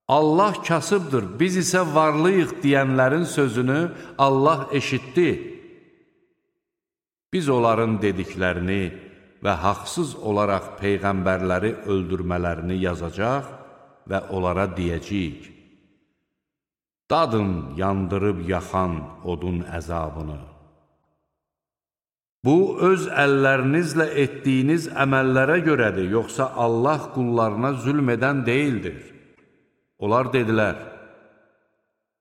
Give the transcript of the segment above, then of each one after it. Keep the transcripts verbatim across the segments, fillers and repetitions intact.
Allah kasıbdır, biz isə varlıyıq deyənlərin sözünü Allah eşitdi. Biz onların dediklərini və haqsız olaraq peyğəmbərləri öldürmələrini yazacaq və onlara deyəcəyik: dadın yandırıb yaxan odun əzabını. Bu, öz əllərinizlə etdiyiniz əməllərə görədir, yoxsa Allah qullarına zülm edən deyildir. Onlar dedilər: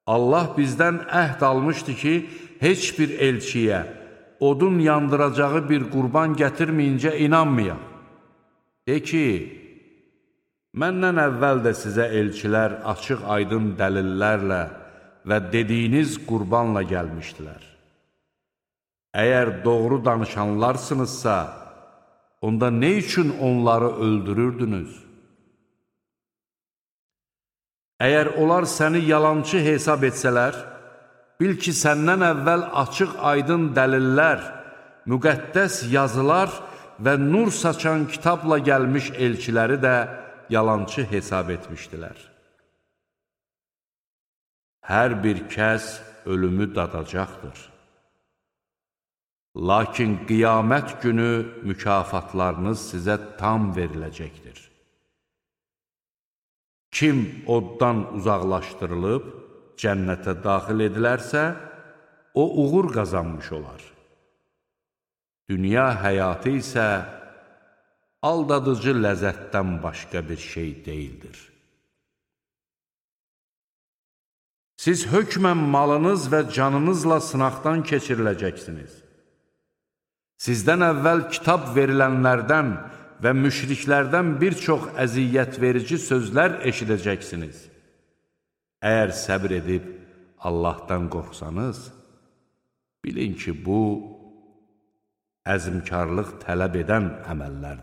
Allah bizdən əhd almışdı ki, heç bir elçiyə odun yandıracağı bir qurban gətirməyincə inanmayaq. De ki, məndən əvvəl də sizə elçilər açıq aydın dəlillərlə və dediyiniz qurbanla gəlmişdilər. Əgər doğru danışanlarsınızsa, onda nə üçün onları öldürürdünüz? Əgər onlar səni yalançı hesab etsələr, bil ki, səndən əvvəl açıq aydın dəlillər, müqəddəs yazılar və nur saçan kitabla gəlmiş elçiləri də yalançı hesab etmişdilər. Hər bir kəs ölümü dadacaqdır. Lakin qiyamət günü mükafatlarınız sizə tam veriləcəkdir. Kim oddan uzaqlaşdırılıb, cənnətə daxil edilərsə, o uğur qazanmış olar. Dünya həyatı isə aldadıcı ləzzətdən başqa bir şey deyildir. Siz hökmən malınız və canınızla sınaqdan keçiriləcəksiniz. Sizdən əvvəl kitab verilənlərdən və müşriklərdən bir çox əziyyət verici sözlər eşidəcəksiniz. Əgər səbr edib Allahdan qorxsanız, bilin ki, bu əzmkarlıq tələb edən əməllərdir.